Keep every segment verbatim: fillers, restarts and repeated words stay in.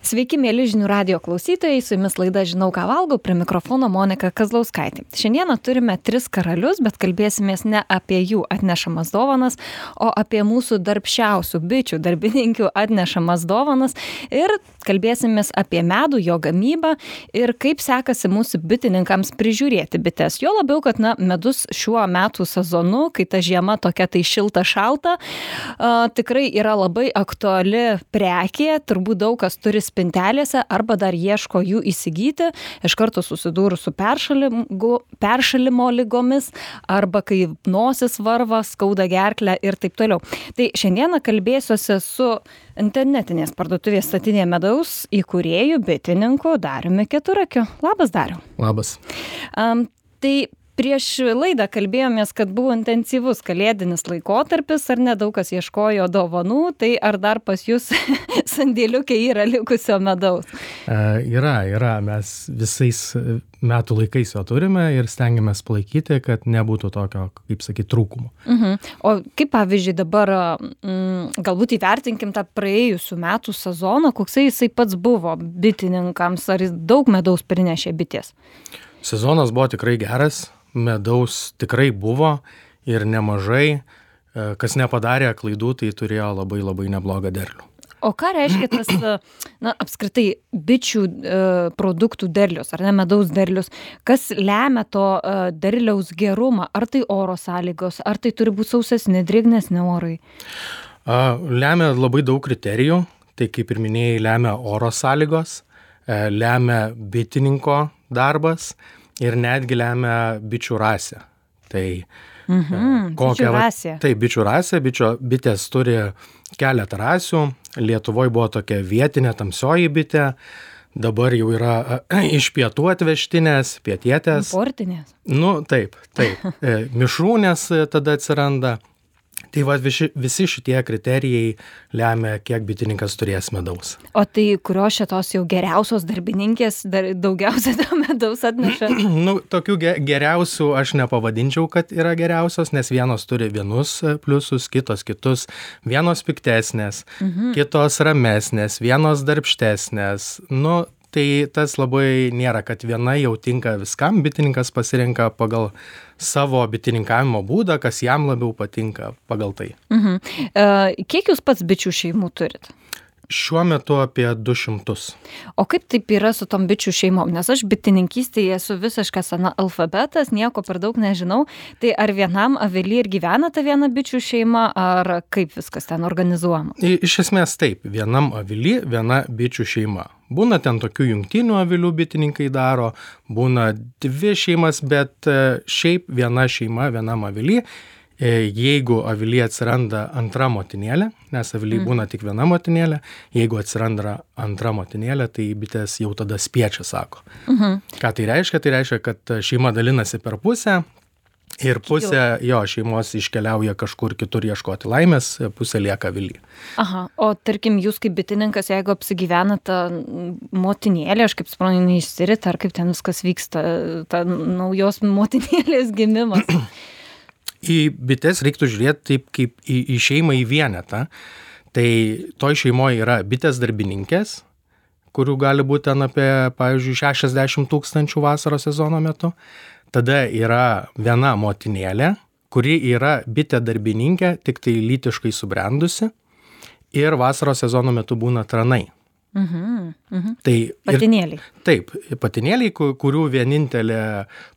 Sveiki, mėly žinių radijo klausytojai, su jumis laida Žinau, ką valgau, prie mikrofono Monika Kazlauskaitė. Šiandieną turime tris karalius, bet kalbėsimės ne apie jų atnešamas dovanas, o apie mūsų darbščiausių bičių darbininkių atnešamas dovanas ir kalbėsimės apie medų, jo gamybą ir kaip sekasi mūsų bitininkams prižiūrėti bites. Jo labiau, kad na, medus šiuo metų sezonu, kai ta žiema tokia tai šilta šalta, a, tikrai yra labai aktuali prekė, turbūt daug kas turi spintelėse arba dar ieško jų įsigyti, iš karto susidūrus su peršalimu, peršalimo lygomis arba kai nosis varva, skauda gerklę ir taip toliau. Tai šiandieną kalbėsiuosi su internetinės parduotuvės Statinė medaus įkūrėju bitininku Dariumi Keturakiu. Labas, Dariau. Labas. Um, tai prieš laidą kalbėjomės, kad buvo intensyvus kalėdinis laikotarpis, ar nedaug kas ieškojo dovanų, tai ar dar pas jūs sandėliukė yra likusio medaus? E, yra, yra. Mes visais metų laikais jo turime ir stengiamės palaikyti, kad nebūtų tokio, kaip sakyti, trūkumo. Uh-huh. O kaip pavyzdžiui dabar, mm, galbūt įvertinkim tą praėjusių metų sezoną, koksai jisai pats buvo bitininkams, ar jis daug medaus prinešė bitės? Sezonas buvo tikrai geras. Medaus tikrai buvo ir nemažai, kas nepadarė klaidų, tai turėjo labai labai neblogą derlių. O ką reiškia tas, na, apskritai bičių e, produktų derlius, ar ne medaus derlius? Kas lemia to e, derliaus gerumą? Ar tai oro sąlygos, ar tai turi būti sausesni, drėgnesni orai? A, lemia labai daug kriterijų, tai kaip ir minėjai, lemia oro sąlygos, e, lemia bitininko darbas, ir netgi lemia bičių rasę. Tai mhm, kokia, bičių rasė. Tai bičių rasė, bičio, bitės turi keletą rasių. Lietuvoje buvo tokia vietinė tamsioji bitė, dabar jau yra iš pietų atvežtinės, pietietės. Importinės. Nu, taip, taip. Mišrūnės tada atsiranda. Tai va, visi, visi šitie kriterijai lemia, kiek bitininkas turės medaus. O tai kurios šitos jau geriausios darbininkės dar daugiausia to medaus atneša? Nu, tokių ge- geriausių aš nepavadinčiau, kad yra geriausios, nes vienos turi vienus pliusus, kitos kitus, vienos piktesnės, mhm. kitos ramesnės, vienos darbštesnės. Nu, tai tas labai nėra, kad viena jau tinka viskam, bitininkas pasirenka pagal savo bitininkavimo būdą, kas jam labiau patinka pagal tai. Mhm. E, kiek jūs pats bičių šeimų turit? Šiuo metu apie du šimtus. O kaip taip yra su tom bičių šeimom? Nes aš bitininkystėje esu visiškas analfabetas, nieko per daug nežinau. Tai ar vienam avily ir gyvena ta viena bičių šeima, ar kaip viskas ten organizuojama? Iš esmės taip, vienam avily viena bičių šeima. Būna ten tokių jungtinių avilių bitininkai daro, būna dvi šeimas, bet šiaip viena šeima vienam avily. Jeigu avilyje atsiranda antra motinėlė, nes avilyje mm. būna tik viena motinėlė, jeigu atsiranda antra motinėlė, tai bitės jau tada spiečia, sako. Mm-hmm. Ką tai reiškia? Tai reiškia, kad šeima dalinasi per pusę ir pusė jo šeimos iškeliauja kažkur kitur ieškoti laimės, pusė lieka avilyje. Aha, o tarkim, jūs kaip bitininkas, jeigu apsigyvena ta motinėlė, aš kaip suprantu, neišsirit, ar kaip ten viskas vyksta, ta naujos motinėlės gimimas? Į bites reiktų žiūrėti taip kaip į, į šeimą į vienetą. Tai toj šeimoje yra bitės darbininkės, kurių gali būti ten apie, pavyzdžiui, šešiasdešimt tūkstančių vasaros sezono metu. Tada yra viena motinėlė, kuri yra bitė darbininkė, tik tai lytiškai subrendusi. Ir vasaros sezono metu būna tranai. Mhm, mhm. Tai patinėliai. Ir, taip, patinėliai, kurių vienintelė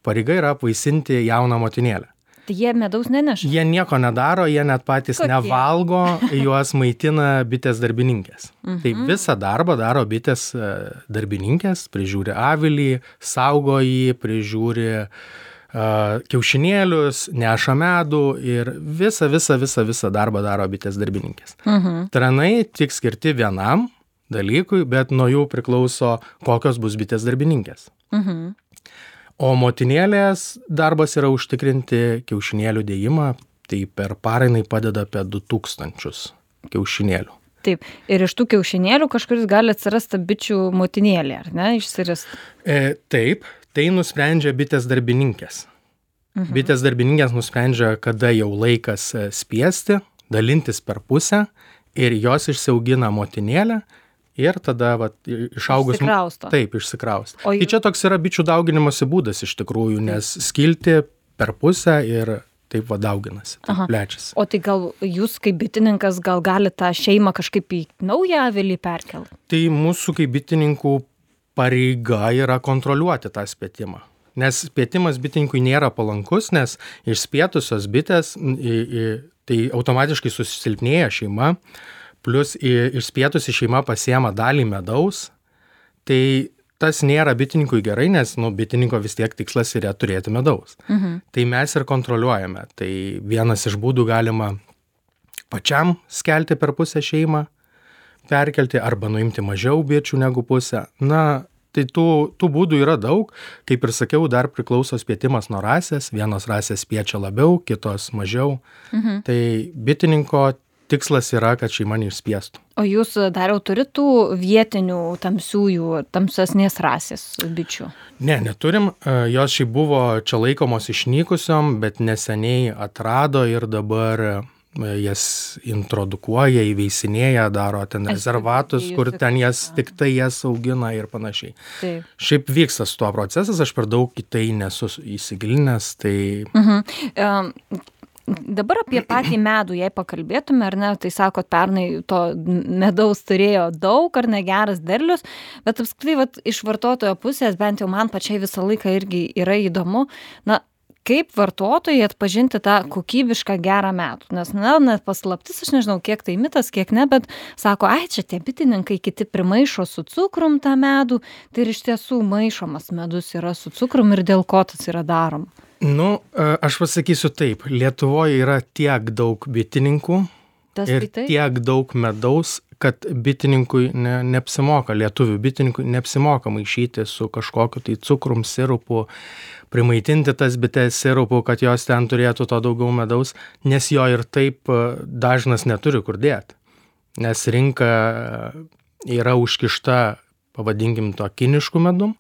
pareiga yra apvaisinti jauną motinėlę. Tai jie medaus neneša? Jie nieko nedaro, jie net patys Kokie? Nevalgo, juos maitina bitės darbininkės. Mhm. Tai visą darbą daro bitės darbininkės, prižiūri avilį, saugo jį, prižiūri uh, kiaušinėlius, neša medų ir visą, visą, visą, visą darbą daro bitės darbininkės. Mhm. Tranai tik skirti vienam dalykui, bet nuo jų priklauso, kokios bus bitės darbininkės. Mhm. O motinėlės darbas yra užtikrinti kiaušinėlių dėjimą, tai per parą jinai padeda apie du tūkstančius kiaušinėlių. Taip, ir iš tų kiaušinėlių kažkuris gali atsirasti bičių motinėlė, ar ne, išsirasti? E, taip, tai nusprendžia bitės darbininkės. Mhm. Bitės darbininkės nusprendžia, kada jau laikas spiesti, dalintis per pusę ir jos išsiaugina motinėlę ir tada vat, išaugus... Išsikrausto. Taip, išsikrausto. O Tai jų... čia toks yra bičių dauginimosi būdas iš tikrųjų, nes skilti per pusę ir taip va dauginasi, taip plečiasi. O tai gal jūs kaip bitininkas gal gali tą šeimą kažkaip į naują avilį perkelti? Tai mūsų kaip bitininkų pareiga yra kontroliuoti tą spėtimą. Nes spėtimas bitininkui nėra palankus, nes išspėtusios bitės, tai automatiškai susilpnėja šeima, plus išspėtusi šeima pasiema dalį medaus, tai tas nėra bitininkui gerai, nes nu, bitininko vis tiek tikslas yra turėti medaus. Mhm. Tai mes ir kontroliuojame. Tai vienas iš būdų galima pačiam skelti per pusę šeimą, perkelti arba nuimti mažiau bičių negu pusę. Na, tai tų, tų būdų yra daug. Kaip ir sakiau, dar priklauso spėtimas nuo rasės. Vienos rasės spiečia labiau, kitos mažiau. Mhm. Tai bitininko tikslas yra, kad šeima neišspiestų. O jūs dar jau turit tų vietinių tamsiųjų, tamsesnės rasės bičių? Ne, neturim. Jos šiaip buvo čia laikomos išnykusiom, bet neseniai atrado ir dabar jas introdukuoja, įveisinėja, daro ten rezervatus, kur ten jas, tik tai jas augina ir panašiai. Taip. Šiaip vyksta su tuo procesas, aš per daug į tai nesu įsigilinęs. Tai... Mhm. Um... Dabar apie patį medų, jei pakalbėtume, ar ne, tai sakot, pernai to medaus turėjo daug, ar ne, geras derlius, bet apskritai, vat, iš vartotojo pusės, bent jau man pačiai visą laiką irgi yra įdomu, na, kaip vartotojai atpažinti tą kokybišką gerą medų, nes, na, net paslaptis, aš nežinau, kiek tai mitas, kiek ne, bet sako, ai, čia tie bitininkai kiti primaišo su cukrum tą medų, tai ir iš tiesų maišomas medus yra su cukrum ir dėl ko tas yra daroma. Nu, aš pasakysiu taip, Lietuvoje yra tiek daug bitininkų Tas ir tai tiek daug medaus, kad bitininkui ne, neapsimoka, lietuvių bitininkui neapsimoka maišyti su kažkokiu tai cukrum, sirupu, primaitinti tas bites sirupu, kad jos ten turėtų to daugiau medaus, nes jo ir taip dažnas neturi kur dėti. Nes rinka yra užkišta, pavadinkim to kinišku medum,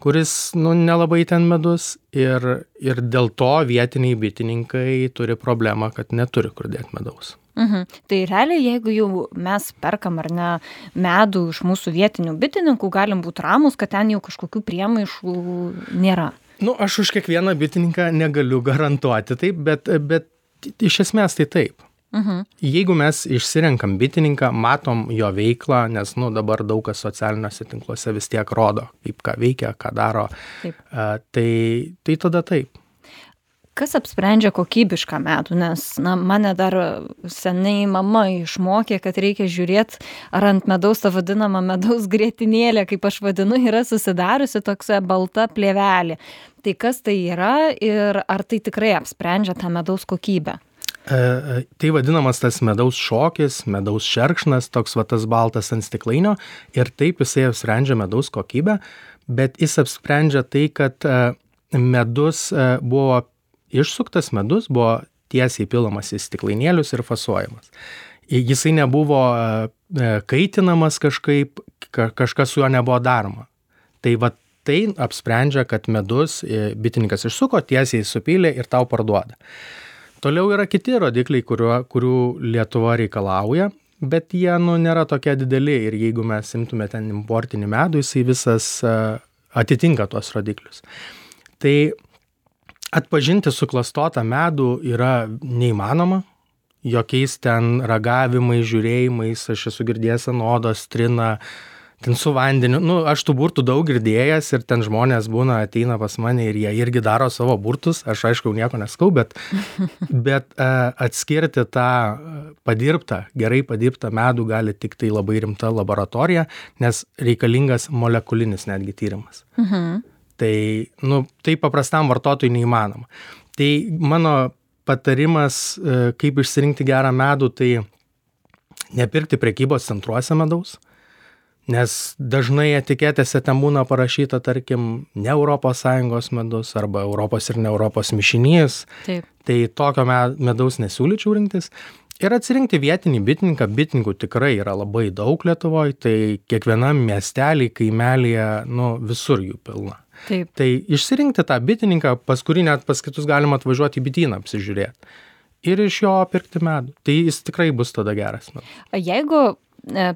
kuris nu, nelabai ten medus ir, ir dėl to vietiniai bitininkai turi problemą, kad neturi kur dėti medaus. Mhm. Tai realiai, jeigu jau mes perkam ar ne medų iš mūsų vietinių bitininkų, galim būti ramus, kad ten jau kažkokių priemaišų nėra. Nu, aš už kiekvieną bitininką negaliu garantuoti taip, bet, bet iš esmės tai taip. Mhm. Jeigu mes išsirenkam bitininką, matom jo veiklą, nes nu, dabar daug kas socialiniuose tinkluose vis tiek rodo, kaip ką veikia, ką daro, uh, tai, tai tada taip. Kas apsprendžia kokybišką medų, nes na, mane dar seniai mama išmokė, kad reikia žiūrėti, ar ant medaus tą vadinamą medaus grietinėlę, kaip aš vadinu, yra susidariusi toks balta plėvelė. Tai kas tai yra ir ar tai tikrai apsprendžia tą medaus kokybę? E, tai vadinamas tas medaus šokis, medaus šerkšnas, toks va tas baltas ant stiklainio ir taip jisai apsprendžia medaus kokybę, bet jis apsprendžia tai, kad medus buvo išsuktas medus, buvo tiesiai pilamas į stiklainėlius ir fasuojamas. Jisai nebuvo kaitinamas kažkaip, kažkas su juo nebuvo daroma. Tai va tai apsprendžia, kad medus bitininkas išsuko, tiesiai supylė ir tau parduoda. Toliau yra kiti rodikliai, kuriuo, kurių Lietuva reikalauja, bet jie nu, nėra tokie dideli ir jeigu mes imtume ten importinį medų, jisai visas uh, atitinka tuos rodiklius. Tai atpažinti suklastotą medų yra neįmanoma, jokiais ten ragavimais, žiūrėjimais, aš esu girdėjęs ant odos, trina, ten su vandeniu, nu, aš tų burtų daug girdėjęs ir ten žmonės būna, ateina pas mane ir jie irgi daro savo burtus, aš aišku nieko neskau, bet, bet uh, atskirti tą padirbtą, gerai padirbtą medų gali tik tai labai rimta laboratorija, nes reikalingas molekulinis netgi tyrimas. Mhm. Tai, nu, tai paprastam vartotojui neįmanoma. Tai mano patarimas, uh, kaip išsirinkti gerą medų, tai nepirkti prekybos centruose medaus, nes dažnai etiketėse ten būna parašyta, tarkim, ne Europos Sąjungos medus arba Europos ir ne Europos mišinys. Taip. Tai tokio medaus nesiūlyčiau rinktis. Ir atsirinkti vietinį bitininką, bitininkų tikrai yra labai daug Lietuvoje, tai kiekvienam miestelį, kaimelėje, nu, visur jų pilna. Taip. Tai išsirinkti tą bitininką, pas kurį net pas kitus galima atvažiuoti į bityną apsižiūrėti ir iš jo pirkti medų. Tai jis tikrai bus tada geras medus. Jeigu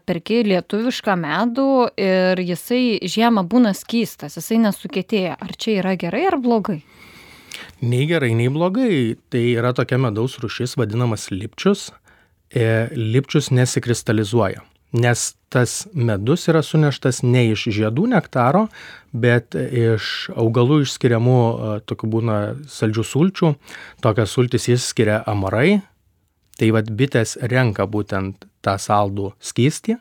perki lietuvišką medų ir jisai žiemą būna skystas, jisai nesukietėja. Ar čia yra gerai ar blogai? Nei gerai, nei blogai. Tai yra tokia medaus rūšis vadinamas lipčius. Lipčius nesikristalizuoja, nes tas medus yra suneštas ne iš žiedų nektaro, bet iš augalų išskiriamų, tokių būna saldžių sulčių. Tokias sultis išskiria amarai. Tai vat bitės renka būtent tą saldų skystį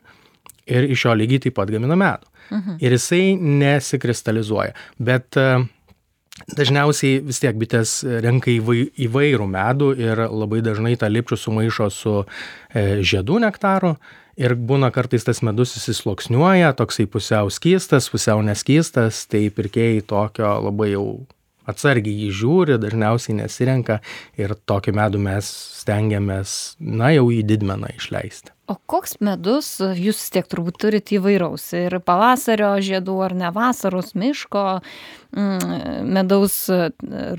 ir iš jo lygiai taip pat gamina medų. Mhm. Ir jisai nesikristalizuoja. Bet dažniausiai vis tiek bitės renka įvairų medų ir labai dažnai tą lipčių sumaišo su žiedų nektaru ir būna kartais tas medus įsisluoksniuoja, toksai pusiau skystas, pusiau neskystas, tai pirkėjai tokio labai jau atsargiai jį žiūri, dažniausiai nesirenka ir tokį medų mes stengiamės, na, jau į didmeną išleisti. O koks medus, jūs vis tiek turbūt turite įvairaus, ir pavasario žiedų ar ne vasaros miško, medaus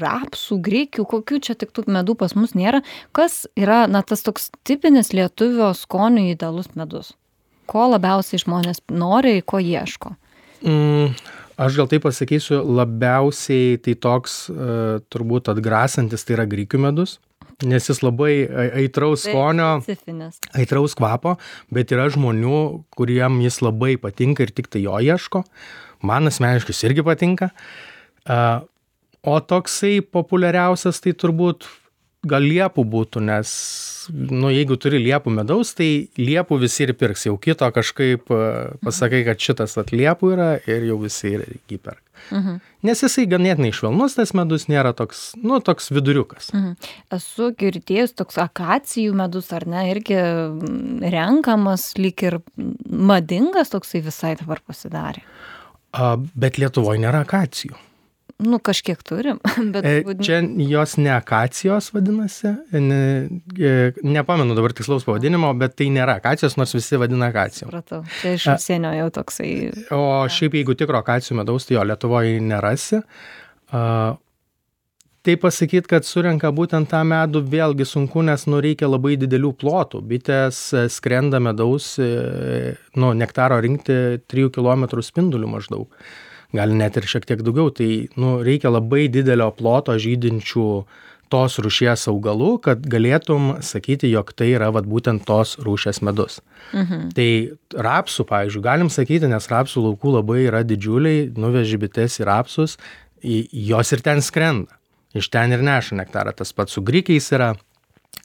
rapsų, grikių, kokių čia tik tų medų pas mus nėra. Kas yra, na, tas toks tipinis lietuvio skonių idealus medus? Ko labiausiai žmonės nori, ko ieško? Mm. Aš gal taip pasakysiu, labiausiai tai toks uh, turbūt atgrasantis, tai yra grikių medus, nes jis labai aitraus skonio, aitraus kvapo, bet yra žmonių, kuriem jis labai patinka ir tik tai jo ieško. Man asmeniškai jis irgi patinka. Uh, o toksai populiariausias tai turbūt gal liepų būtų, nes nu, jeigu turi liepų medaus, tai liepų visi ir pirks. Jau kito kažkaip pasakai, kad šitas at liepų yra ir jau visi ir jį perka. Mhm. Nes jisai ganėtinai švelnus, tas medus nėra toks, nu, toks viduriukas. Mhm. Esu girdėjus toks akacijų medus, ar ne, irgi renkamas, lyg ir madingas toksai visai dabar pasidarė. A, bet Lietuvoje nėra akacijų. Nu, kažkiek turim. Bet... Čia jos ne akacijos vadinasi, ne, nepamenu dabar tikslaus pavadinimo, bet tai nėra akacijos, nors visi vadina akacijų. Supratau, čia iš užsienio jau toksai. O šiaip jeigu tikro akacijų medaus, tai jo Lietuvoje nerasi. Tai pasakyti, kad surenka būtent tą medų, vėlgi sunku, nes nu, reikia labai didelių plotų. Bitės skrenda medaus, nu, nektaro rinkti trijų kilometrų spindulių maždaug. Gali net ir šiek tiek daugiau, tai nu, reikia labai didelio ploto žydinčių tos rūšies augalų, kad galėtum sakyti, jog tai yra vat, būtent tos rūšies medus. Mhm. Tai rapsų, pavyzdžiui, galim sakyti, nes rapsų laukų labai yra didžiuliai, nuveži bites į rapsus, jos ir ten skrenda. Iš ten ir neša nektarą. Tas pats su grikiais yra.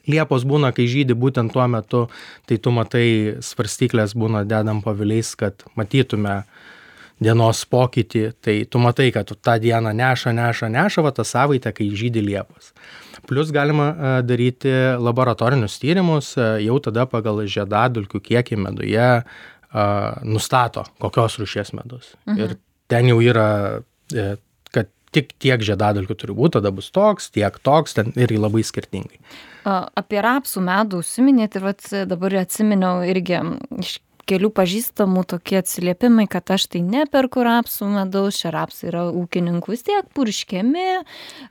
Liepos būna, kai žydi būtent tuo metu, tai tu matai, svarstyklės būna dedam paviliais, kad matytume dienos pokytį, tai tu matai, kad tu tą dieną neša, neša, neša, va tą savaitę, kai žydi liepos. Plus galima daryti laboratorinius tyrimus, jau tada pagal žiedadulkių kiekį meduje nustato, kokios rūšies medus. Mhm. Ir ten jau yra, kad tik tiek žiedadulkių turi būti, tada bus toks, tiek toks, ten ir labai skirtingai. Apie rapsų medų užsiminėt ir vat, dabar atsiminiau irgi iš kelių pažįstamų tokie atsiliepimai, kad aš tai neperku rapsų medaus, čia rapsai yra ūkininkų vis tiek purškiami.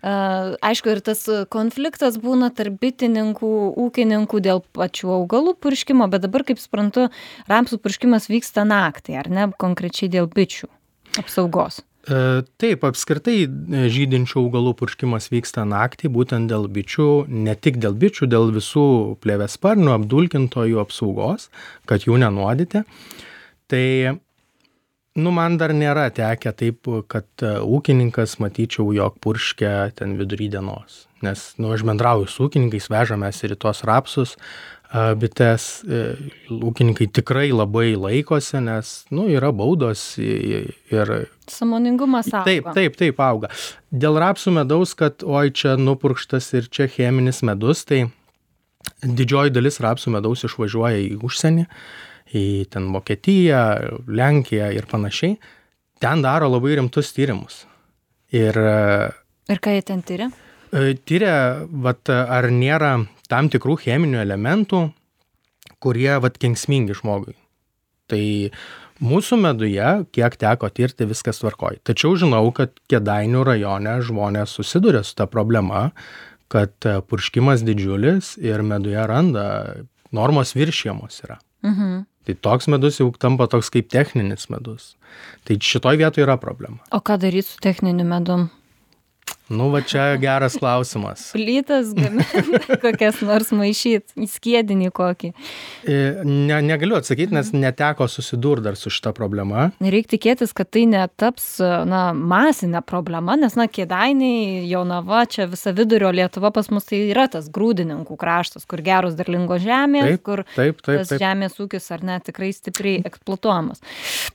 Aišku, ir tas konfliktas būna tarp bitininkų, ūkininkų dėl pačių augalų purškimo, bet dabar, kaip suprantu, rapsų purškimas vyksta naktį, ar ne, konkrečiai dėl bičių apsaugos. Taip, apskritai žydinčių augalų purškimas vyksta naktį, būtent dėl bičių, ne tik dėl bičių, dėl visų plėviasparnių, apdulkintojų apsaugos, kad jų nenuodyti. Tai, nu, man dar nėra tekę taip, kad ūkininkas matyčiau, jog purškia ten vidury dienos. Nes, nu, aš bendrauju su ūkininkais, vežamės ir į tuos rapsus, bites, ūkininkai tikrai labai laikosi, nes, nu, yra baudos ir... Sąmoningumas auga. Taip, taip, taip auga. Dėl rapsų medaus, kad oi čia nupurkštas ir čia cheminis medus, tai didžioji dalis rapsų medaus išvažiuoja į užsienį, į ten Vokietiją, Lenkiją ir panašiai. Ten daro labai rimtus tyrimus. Ir, ir ką jie ten tyria? Tyria, vat, ar nėra tam tikrų cheminių elementų, kurie vat, kenksmingi žmogui. Tai mūsų meduje, kiek teko tirti, viskas tvarkoj. Tačiau žinau, kad Kėdainių rajone žmonės susiduria su ta problema, kad purškimas didžiulis ir meduje randa, normos viršijamos yra. Mhm. Tai toks medus jau tampa toks kaip techninis medus. Tai šitoj vietoje yra problema. O ką daryti su techniniu medum? Nu, va čia geras klausimas. Plytas gaminti, kokias nors maišyti, į skiedinį kokį. Ne, negaliu atsakyti, nes neteko susidurti dar su šita problema. Reikia tikėtis, kad tai netaps na, masinė problema, nes na, Kėdainiai, Jonava, čia visa vidurio Lietuva pas mus tai yra tas grūdininkų kraštas, kur geros derlingos žemės, taip, kur taip, taip, tas taip. žemės ūkis ar ne tikrai stipriai eksploatuojamas.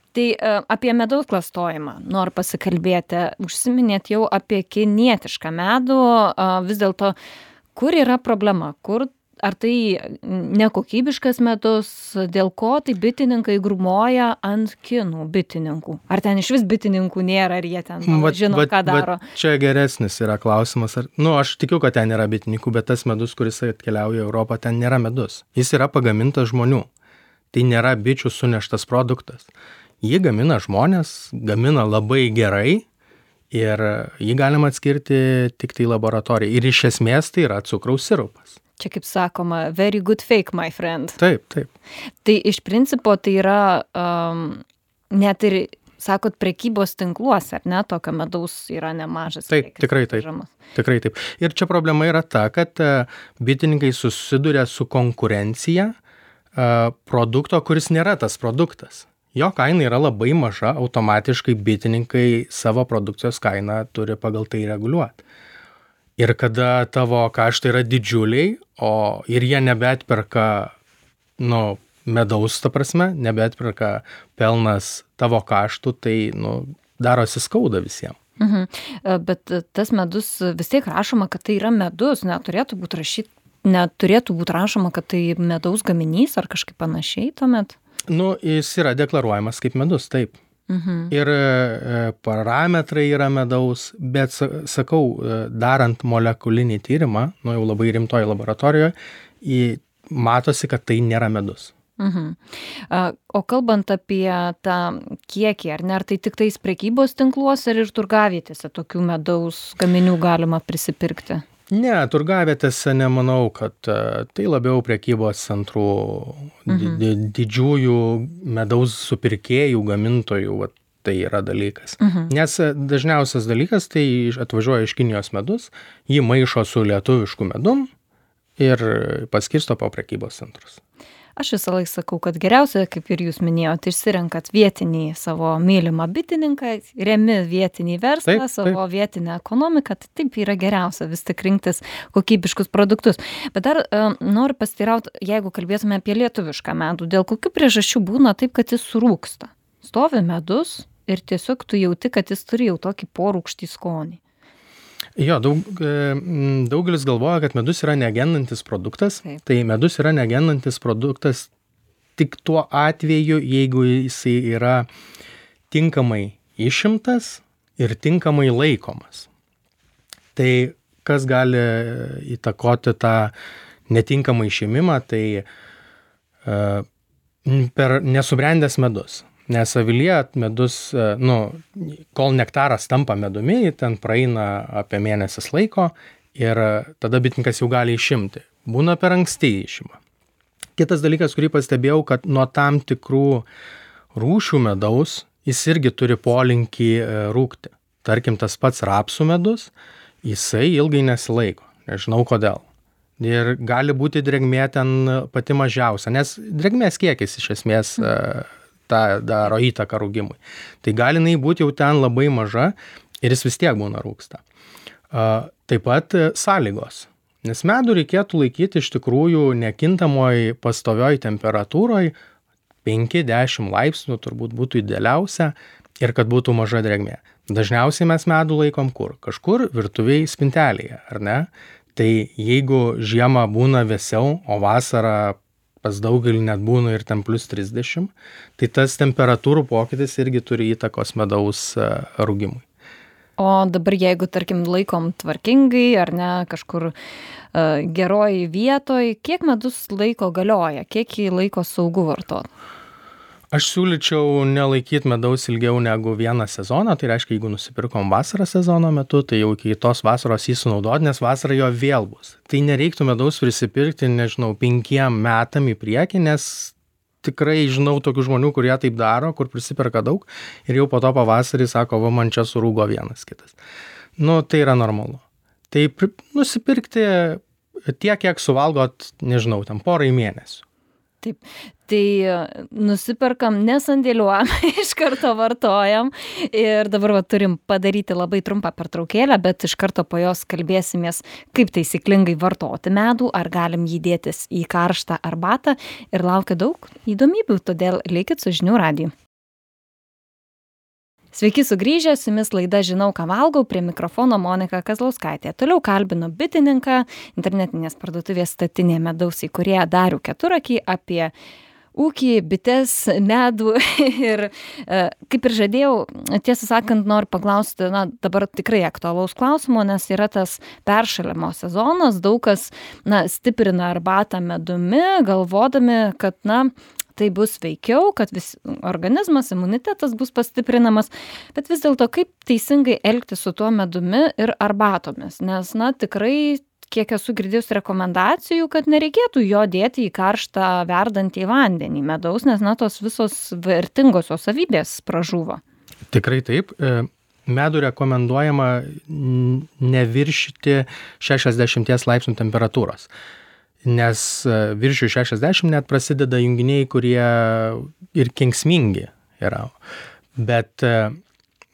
Tai apie medaus klastojimą noriu pasikalbėti. Užsiminėt jau apie kinietišką medų. Vis dėlto, kur yra problema? Kur, ar tai nekokybiškas medus? Dėl ko tai bitininkai grūmoja ant kinų bitininkų? Ar ten iš vis bitininkų nėra, ar jie ten vat, žino, vat, ką daro? Vat čia geresnis yra klausimas. Ar, nu, aš tikiu, kad ten yra bitininkų, bet tas medus, kuris atkeliauja į Europą, ten nėra medus. Jis yra pagamintas žmonių. Tai nėra bičių suneštas produktas. Jį gamina žmonės, gamina labai gerai ir jį galima atskirti tik tai laboratorijai. Ir iš esmės tai yra cukraus sirupas. Čia kaip sakoma, very good fake, my friend. Taip, taip. Tai iš principo tai yra um, net ir, sakot, prekybos tinkluose, ar ne, tokio medaus yra nemažas. Taip, tikrai taip. Žamas. Tikrai taip. Ir čia problema yra ta, kad bitininkai susiduria su konkurencija uh, produkto, kuris nėra tas produktas. Jo kaina yra labai maža, automatiškai bitininkai savo produkcijos kainą turi pagal tai reguliuoti. Ir kada tavo kaštai yra didžiuliai, o ir jie nebeatperka, nu, medaus, ta prasme, nebeatperka pelnas tavo kaštų, tai, nu, darosi skauda visiems. Mhm. Bet tas medus vis tiek rašoma, kad tai yra medus, neturėtų būti rašyti, neturėtų būti rašoma, kad tai medaus gaminys ar kažkaip panašiai tuomet? Nu, jis yra deklaruojamas kaip medus, taip. Mhm. Ir e, parametrai yra medaus, bet, sakau, darant molekulinį tyrimą, nu jau labai rimtoje laboratorijoje, į, matosi, kad tai nėra medus. Mhm. O kalbant apie tą kiekį, ar ne, ar tai tik tais prekybos tinkluose ir turgavietėse tokių medaus gaminių galima prisipirkti? Ne, turgavietėse nemanau, kad tai labiau prekybos centrų mhm. di, didžiųjų medaus supirkėjų, gamintojų, va, tai yra dalykas. Mhm. Nes dažniausias dalykas tai atvažiuoja iš Kinijos medus, jį maišo su lietuvišku medum ir paskirsto po prekybos centrus. Aš visą laiką sakau, kad geriausia, kaip ir jūs minėjote, išsirenkat vietinį savo mylimą bitininką, remi vietinį verslą, taip, savo taip. Vietinę ekonomiką, tai taip yra geriausia vis tik rinktis kokybiškus produktus. Bet dar uh, noriu pasiteirauti, jeigu kalbėtume apie lietuvišką medų, dėl kokių priežasčių būna taip, kad jis surūksta. Stovi medus ir tiesiog tu jauti, kad jis turi jau tokį porūkštį skonį. Jo, daug, daugelis galvoja, kad medus yra negendantis produktas. Taip. Tai medus yra negendantis produktas tik tuo atveju, jeigu jisai yra tinkamai išimtas ir tinkamai laikomas. Tai kas gali įtakoti tą netinkamą išėmimą, tai uh, per nesubrendęs medus. Nes avilyje medus, nu, kol nektaras tampa medumi, ten praeina apie mėnesis laiko ir tada bitininkas jau gali išimti. Būna per anksti išima. Kitas dalykas, kurį pastebėjau, kad nuo tam tikrų rūšių medaus jis irgi turi polinkį rūgti. Tarkim, tas pats rapsų medus, jisai ilgai nesilaiko. Nežinau kodėl. Ir gali būti drėgmė ten pati mažiausia, nes drėgmės kiekis iš esmės tą daro įtaką rūgimui. Tai gali jinai būti jau ten labai maža ir jis vis tiek būna rūgsta. Taip pat sąlygos. Nes medų reikėtų laikyti iš tikrųjų nekintamoj pastovioj temperatūroj, penki dešimt laipsnių turbūt būtų idealiausia ir kad būtų maža drėgmė. Dažniausiai mes medų laikom kur? Kažkur virtuviai spintelėje, ar ne? Tai jeigu žiemą būna vėsiau, o vasarą pas daugelį net būna ir ten plus trisdešimt, tai tas temperatūrų pokytis irgi turi įtakos medaus rūgimui. O dabar jeigu, tarkim, laikom tvarkingai ar ne, kažkur uh, geroj vietoj, kiek medus laiko galioja, kiek jį laiko saugu vartoti? Aš siūlyčiau nelaikyti medaus ilgiau negu vieną sezoną, tai reiškia, jeigu nusipirkom vasarą sezono metu, tai jau iki tos vasaros jį sunaudoti, nes vasarą jo vėl bus. Tai nereiktų medaus prisipirkti, nežinau, penkiem metam į priekį, nes tikrai žinau tokių žmonių, kurie taip daro, kur prisiperka daug ir jau po to pavasarį sako, va, man čia surūgo vienas kitas. Nu, tai yra normalu. Tai nusipirkti tiek, kiek suvalgot, nežinau, tam porai mėnesių. Taip, tai nusiperkam, nesandėliuojam, iš karto vartojam ir dabar va, turim padaryti labai trumpą pertraukėlę, bet iš karto po jos kalbėsimės, kaip taisyklingai vartoti medų, ar galim jį dėtis į karštą arbatą ir laukia daug įdomybių, todėl likit su Žinių radiju. Sveiki sugrįžę, su jumis laida Žinau, ką valgau, prie mikrofono Monika Kazlauskaitė. Toliau kalbinu bitininką, internetinės parduotuvės Statinė medaus įkūrėją Darių Keturakį apie ūkį, bites, medų ir kaip ir žadėjau, tiesą sakant, noriu paklausti, na, dabar tikrai aktualaus klausimo, nes yra tas peršalimo sezonas, daug kas, na, stiprina arbatą medumi, galvodami, kad, na, tai bus veikiau, kad vis organizmas, imunitetas bus pastiprinamas, bet vis dėlto kaip teisingai elgtis su tuo medumi ir arbatomis, nes, na, tikrai, kiek esu girdėjus rekomendacijų, kad nereikėtų jo dėti į karštą verdantį vandenį medaus, nes, na, tos visos vertingosios savybės pražūva. Tikrai taip. Medų rekomenduojama neviršyti šešiasdešimt laipsnių temperatūros. Nes virš šešiasdešimt net prasideda junginiai, kurie ir kenksmingi yra. Bet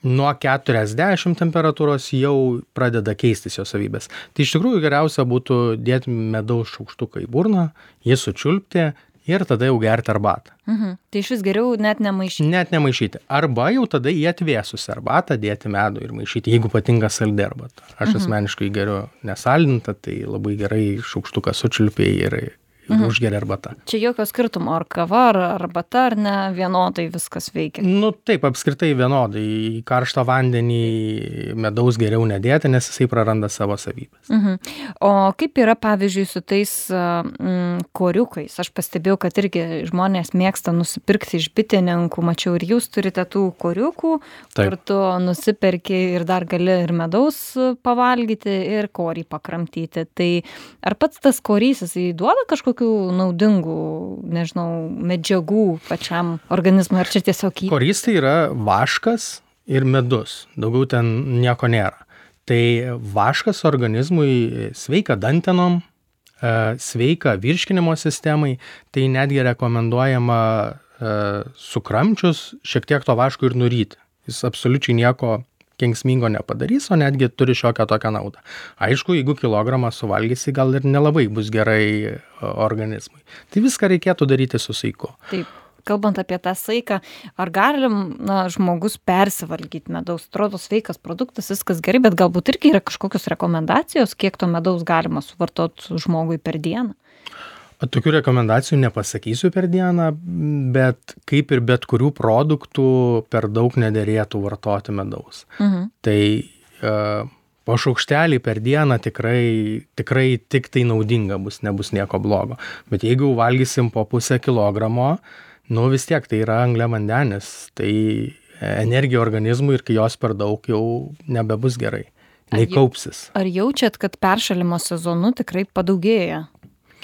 nuo keturiasdešimt temperatūros jau pradeda keistis jo savybės. Tai iš tikrųjų geriausia būtų dėti medaus šaukštuką į burną, jį sučiulpti ir tada jau gerti arbatą. Mhm. Tai iš vis geriau net nemaišyti. Net nemaišyti. Arba jau tada į atvėsusią arbatą dėti medų ir maišyti, jeigu patinka saldi arbata. Aš mhm. asmeniškai geriu nesaldintą, tai labai gerai šaukštuką sučiulpiai ir mhm. užgeria arbata. Čia jokio skirtumo, ar kava, ar arbata, ar ne, vienodai viskas veikia. Nu taip, apskritai vienodai. Į karštą vandenį medaus geriau nedėti, nes jisai praranda savo savybės. Mhm. O kaip yra, pavyzdžiui, su tais mm, koriukais? Aš pastebėjau, kad irgi žmonės mėgsta nusipirkti iš bitininkų, mačiau ir jūs turite tų koriukų, taip, kur tu nusiperki ir dar gali ir medaus pavalgyti, ir korį pakramtyti. Tai ar pats tas korys, jisai duoda kažkokį naudingų, nežinau, medžiagų pačiam organizmui, ar čia tiesiog į... Korys tai yra vaškas ir medus, daugiau ten nieko nėra. Tai vaškas organizmui sveika dantenom, sveika virškinimo sistemai, tai netgi rekomenduojama sukramčius šiek tiek to vaško ir nuryti. Jis absoliučiai nieko kenksmingo nepadarys, o netgi turi šiokią tokią naudą. Aišku, jeigu kilogramą suvalgysi, gal ir nelabai bus gerai organizmui. Tai viską reikėtų daryti su saiku. Taip, kalbant apie tą saiką, ar galim, na, žmogus persivalgyti medaus? Atrodo sveikas produktas, viskas gerai, bet galbūt irgi yra kažkokios rekomendacijos, kiek to medaus galima suvartoti žmogui per dieną? Tokių rekomendacijų nepasakysiu per dieną, bet kaip ir bet kurių produktų per daug nederėtų vartoti medaus. Mhm. Tai uh, po šaukštelį per dieną tikrai, tikrai tik tai naudinga bus, nebus nieko blogo. Bet jeigu valgysim po pusę kilogramo, nu vis tiek tai yra angliavandenis, tai energija organizmui ir kai jos per daug jau nebebus gerai, nei kaupsis. Ar jaučiat, kad peršalimo sezonu tikrai padaugėja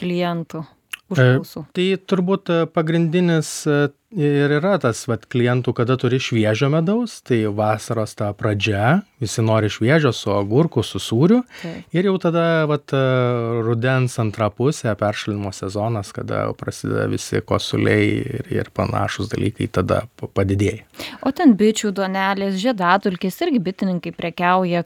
klientų užklausų? Tai turbūt pagrindinis ir yra tas vat, klientų, kada turi šviežio medaus, tai vasaros ta pradžia, visi nori šviežio su agurku, su sūriu. Tai. Ir jau tada vat, rudens antra pusė, peršalimo sezonas, kada prasideda visi kosuliai ir, ir panašus dalykai, tada padidėja. O ten bičių duonelės, žiedadulkės irgi bitininkai prekiauja,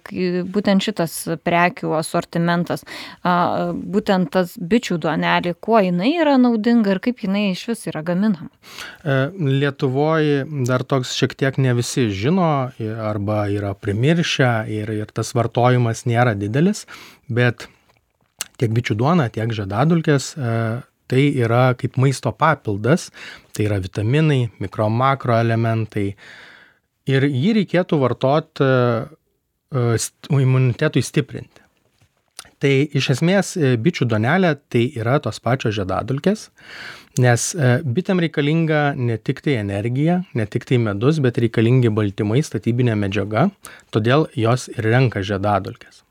būtent šitas prekių asortimentas, būtent tas bičių duonelė, kuo jinai yra naudinga ir kaip jinai iš vis yra gaminama? Lietuvoje dar toks šiek tiek ne visi žino arba yra primiršę ir, ir tas vartojimas nėra didelis, bet tiek bičių duona, tiek žiedadulkės tai yra kaip maisto papildas, tai yra vitaminai, mikro makro elementai ir jį reikėtų vartoti imunitetui stiprinti. Tai iš esmės bičių duonelė tai yra tos pačios žiedadulkės, nes bitėm reikalinga ne tik tai energija, ne tik tai medus, bet reikalingi baltymai, statybinė medžiaga, todėl jos ir renka žiedadulkės.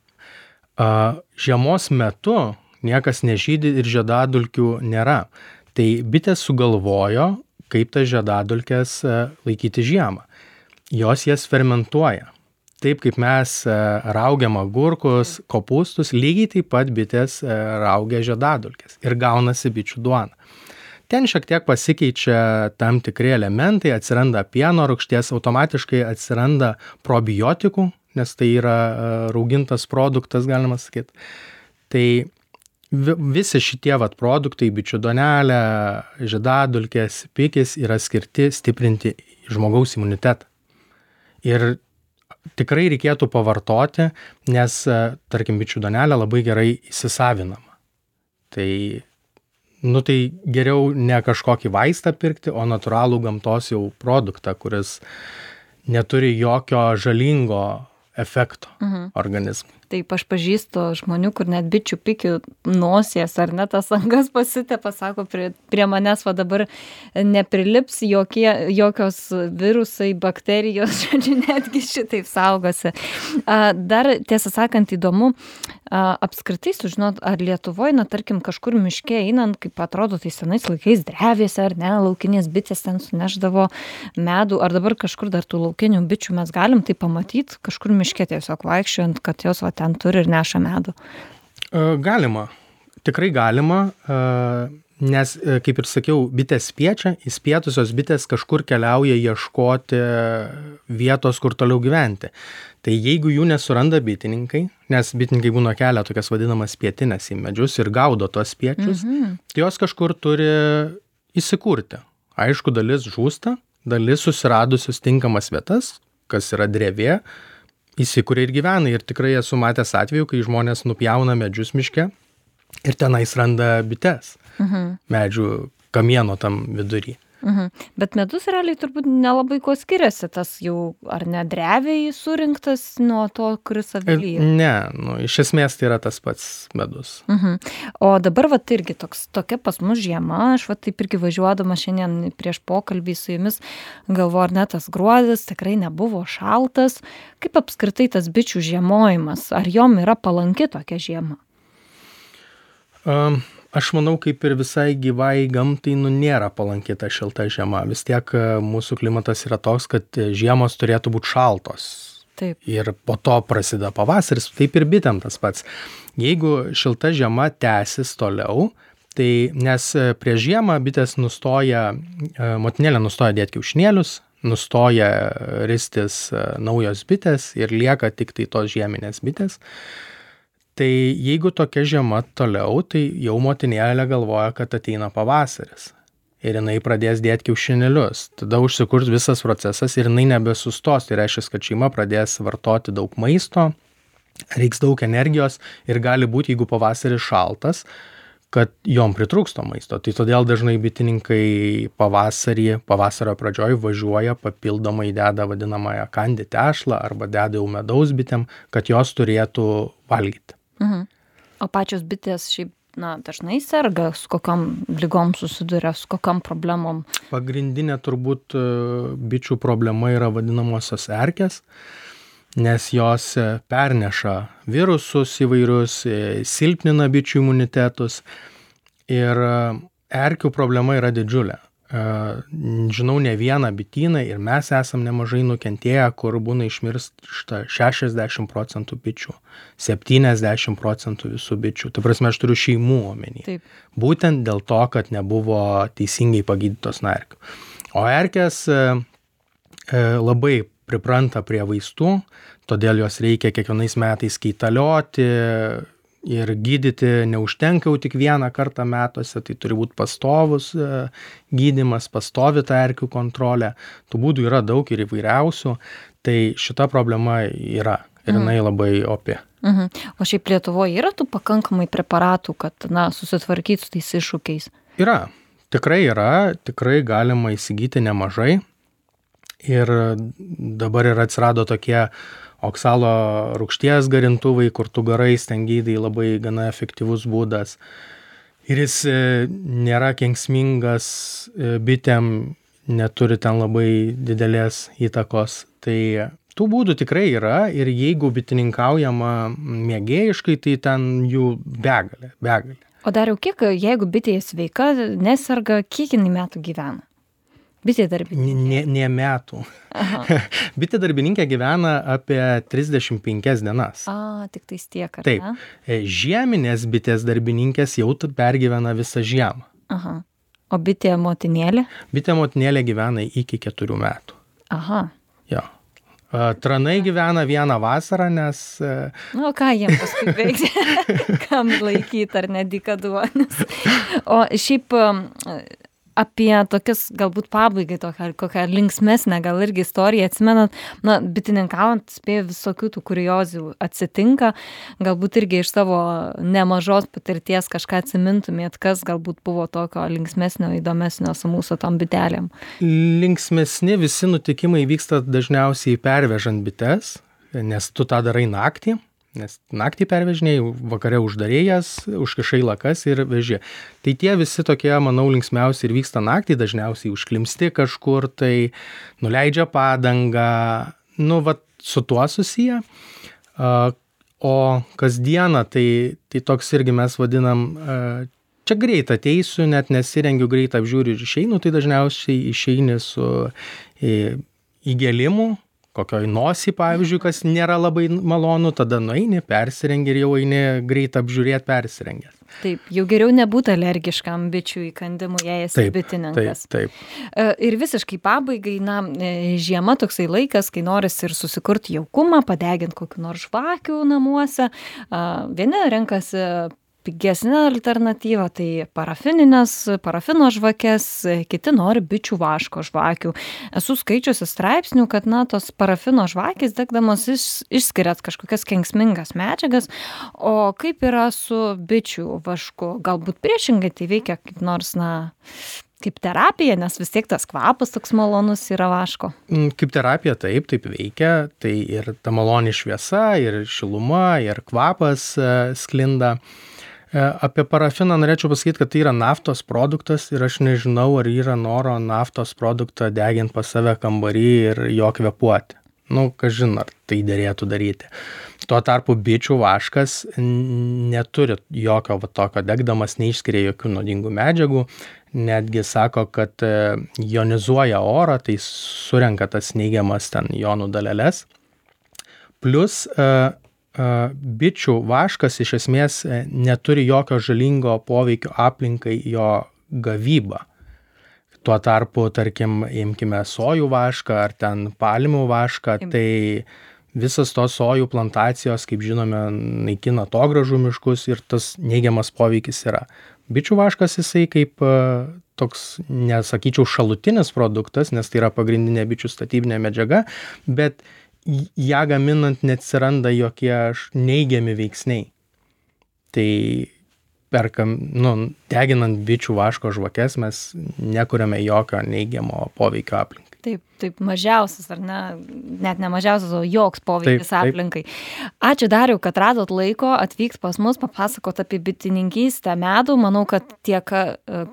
Žiemos metu niekas nežydi ir žiedadulkių nėra. Tai bitės sugalvojo kaip tas žiedadulkes laikyti žiemą. Jos jas fermentuoja. Taip kaip mes raugiam agurkus, kopūstus, lygiai taip pat bitės raugia žiedadulkes ir gaunasi bičių duona. Ten šiek tiek pasikeičia tam tikri elementai, atsiranda pieno rūgšties, automatiškai atsiranda probiotikų, nes tai yra raugintas produktas, galima sakyti. Tai visi šitie vat produktai, bičių duonelė, žiedadulkės, pikis yra skirti stiprinti žmogaus imunitetą. Ir tikrai reikėtų pavartoti, nes, tarkim, bičių duonelė labai gerai įsisavinama. Tai, nu, tai geriau ne kažkokį vaistą pirkti, o natūralų gamtos jau produktą, kuris neturi jokio žalingo efekto mhm. organizmui. Taip, aš pažįstu žmonių, kur net bičių pikių nosies ar net tas angas pasitepa, sako, prie, prie manęs va dabar neprilips jokie, jokios virusai, bakterijos, žodžiu, netgi šitaip saugosi. Dar, tiesą sakant, įdomu, apskritai sužinot, ar Lietuvoje, na, tarkim, kažkur miške einant, kaip atrodo, tai senais laikais drevėse, ar ne, laukinės bitės ten suneždavo medų, ar dabar kažkur dar tų laukinių bičių mes galim tai pamatyti, kažkur miške tiesiog vaikščiojant, kad jos va ten turi ir neša medų? Galima, tikrai galima, nes, kaip ir sakiau, bitės spiečia, įspietusios bitės kažkur keliauja ieškoti vietos, kur toliau gyventi. Tai jeigu jų nesuranda bitininkai, nes bitininkai būna kelia tokias vadinamas spietinės į medžius ir gaudo tuos spiečius, mhm. tai jos kažkur turi įsikurti. Aišku, dalis žūsta, dalis susiradusios tinkamas vietas, kas yra drevė, įsikuria ir gyvena. Ir tikrai esu matęs atveju, kai žmonės nupjauna medžius miške ir tenais randa bites mhm. medžių kamieno tam vidury. Mhm. Bet medus realiai turbūt nelabai ko skiriasi, tas jau ar ne dreviai surinktas nuo to, kuris avilyje? Ne, nu, iš esmės tai yra tas pats medus. Mhm. O dabar vat irgi toks, tokia pas mus žiema, aš vat taip irgi važiuodama šiandien prieš pokalbį su jumis galvoju, ar ne, tas gruodis tikrai nebuvo šaltas. Kaip apskritai tas bičių žiemojimas, ar jom yra palanki tokia žiema? Um. Aš manau, kaip ir visai gyvai gamtai, nu, nėra palanki ta šilta žiema. Vis tiek mūsų klimatas yra toks, kad žiemos turėtų būti šaltos. Taip. Ir po to prasideda pavasaris, taip ir bitėm tas pats. Jeigu šilta žiema tęsis toliau, tai nes prieš žiemą bitės nustoja, motinėlė nustoja dėti kiaušinėlius, nustoja ristis naujos bitės ir lieka tik tai tos žieminės bitės. Tai jeigu tokia žiema toliau, tai jau motinėlė galvoja, kad ateina pavasaris. Ir jinai pradės dėti kiaušinėlius. Tada užsikurs visas procesas ir jinai nebesustos. Tai reiškia, kad šeima pradės vartoti daug maisto, reiks daug energijos ir gali būti, jeigu pavasaris šaltas, kad jom pritrūksto maisto. Tai todėl dažnai bitininkai pavasarį, pavasario pradžioj važiuoja, papildomai deda vadinamąją kandi tešlą arba deda jau medaus bitėm, kad jos turėtų valgyti. Mhm. O pačios bitės šiaip, na, dažnai serga, su kokiom ligom susiduria, su kokiom problemom? Pagrindinė turbūt bičių problema yra vadinamosios erkės, nes jos perneša virusus įvairius, silpnina bičių imunitetus ir erkių problema yra didžiulė. Žinau ne vieną bityną ir mes esam nemažai nukentėję, kur būna išmiršta šešiasdešimt procentų bičių, septyniasdešimt procentų visų bičių. Tai prasme, aš turiu šeimų omeny. Taip. Būtent dėl to, kad nebuvo teisingai pagydytos nuo erkių. O erkės e, labai pripranta prie vaistų, todėl jos reikia kiekvienais metais kaitalioti ir gydyti neužtenka jau tik vieną kartą metuose, tai turi būti pastovus gydymas, pastovi ta erkių kontrolė. Tų būdų yra daug ir įvairiausių, tai šita problema yra ir jinai labai opi. Mhm. O šiaip Lietuvoje yra tų pakankamai preparatų, kad, na, susitvarkyti su tais iššūkiais? Yra, tikrai yra, tikrai galima įsigyti nemažai. Ir dabar ir atsirado tokie oksalo rūgšties garintuvai, kur tu garais ten gydai, labai gana efektyvus būdas. Ir jis nėra kenksmingas bitėm, neturi ten labai didelės įtakos. Tai tų būdų tikrai yra ir jeigu bitininkaujama mėgėjiškai, tai ten jų begalė, begalė. O dar jau kiek, jeigu bitė sveika, neserga, kiek jinai metų gyvena? Bitė darbininkė? Ne, ne metų. Bitė darbininkė gyvena apie trisdešimt penkias dienas. A, tik tais tiek, ar Taip. ne? Žieminės bitės darbininkės jau pergyvena visą žiemą. Aha. O bitė motinėlė? Bitė motinėlė gyvena iki keturių metų. Aha. Jo. Tranai gyvena vieną vasarą, nes... Nu, ką jiems paskui veikti? Kam laikyti ar nedikaduonis? O šiaip apie tokias galbūt pabaigai tokią, kokią linksmesnę gal irgi istoriją atsimenat, na, bitininkaujant spėju visokių tų kuriozų atsitinka, galbūt irgi iš savo nemažos patirties kažką atsimintumėt, kas galbūt buvo tokio linksmesnio, įdomesnio su mūsų tom bitelėm. Linksmesni visi nutikimai vyksta dažniausiai pervežant bites, nes tu tą darai naktį. Nes naktį pervežiniai, vakare uždarėjas, užkišai lakas ir veži. Tai tie visi tokie, manau, linksmiausiai ir vyksta naktį, dažniausiai užklimsti kažkur, tai nuleidžia padangą, nu, va, su tuo susiję. O kasdieną, tai, tai toks irgi mes vadinam, čia greit ateisiu, net nesirengiu, greit apžiūriu ir išeinu, tai dažniausiai išeini su įgėlimu, kokioj nosį, pavyzdžiui, kas nėra labai malonu, tada nueini, persirengi ir jau eini greit apžiūrėti persirengęs. Taip, jau geriau nebūti alergiškam bičių įkandimui, jei esi bitininkas. Taip, taip. Ir visiškai pabaigai, na, žiema toksai laikas, kai norisi ir susikurti jaukumą, padeginti kokių nors žvakių namuose. Vieni renkasi pigesnė alternatyva, tai parafininės, parafino žvakės, kiti nori bičių vaško žvakių. Esu skaičiusi straipsnių, kad, na, tos parafino žvakės degdamos iš, išskiriat kažkokias kenksmingas medžiagas, o kaip yra su bičių vašku? Galbūt priešingai tai veikia kaip nors, na, kaip terapija, nes vis tiek tas kvapas toks malonus yra vaško. Kaip terapija taip, taip veikia, tai ir ta maloni šviesa, ir šiluma, ir kvapas sklinda. Apie parafiną norėčiau pasakyti, kad tai yra naftos produktas ir aš nežinau, ar yra noro naftos produktą deginti pas save kambarį ir jo kvėpuoti. Nu, kažin, ar tai dėrėtų daryti. Tuo tarpu bičių vaškas neturi jokio va, tokio degdamas, neišskiria jokių nuodingų medžiagų, netgi sako, kad ionizuoja orą, tai surenka tas neigiamas ten jonų daleles. Plus bičių vaškas iš esmės neturi jokio žalingo poveikio aplinkai jo gavybą. Tuo tarpu, tarkim, imkime sojų vašką ar ten palmių vašką, tai visas tos sojų plantacijos, kaip žinome, naikina atogrąžų miškus ir tas neigiamas poveikis yra. Bičių vaškas jisai kaip toks, nesakyčiau, šalutinis produktas, nes tai yra pagrindinė bičių statybinė medžiaga, bet ją gaminant neatsiranda jokie neigiami veiksniai. Tai perkam, nu, deginant bičių vaško žvakes mes nekuriame jokio neigiamo poveikio aplinkai. Taip, taip, mažiausias, ar ne, net ne mažiausias, o joks poveikis taip, aplinkai. Taip. Ačiū, Dariau, kad radot laiko atvykt pas mus, papasakot apie bitininkystę medų. Manau, kad tiek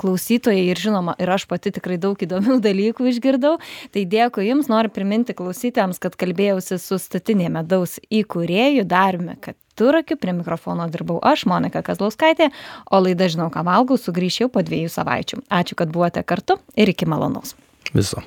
klausytojai ir žinoma, ir aš pati tikrai daug įdomių dalykų išgirdau. Tai dėkui Jums, noriu priminti klausytojams, kad kalbėjausi su Statinė medaus įkūrėju Dariumi Keturakiu. Prie mikrofono dirbau aš, Monika Kazlauskaitė, o laida Žinau, ką valgau sugrįš jau po dviejų savaičių. Ačiū, kad buvote kartu ir iki malonaus. Viso.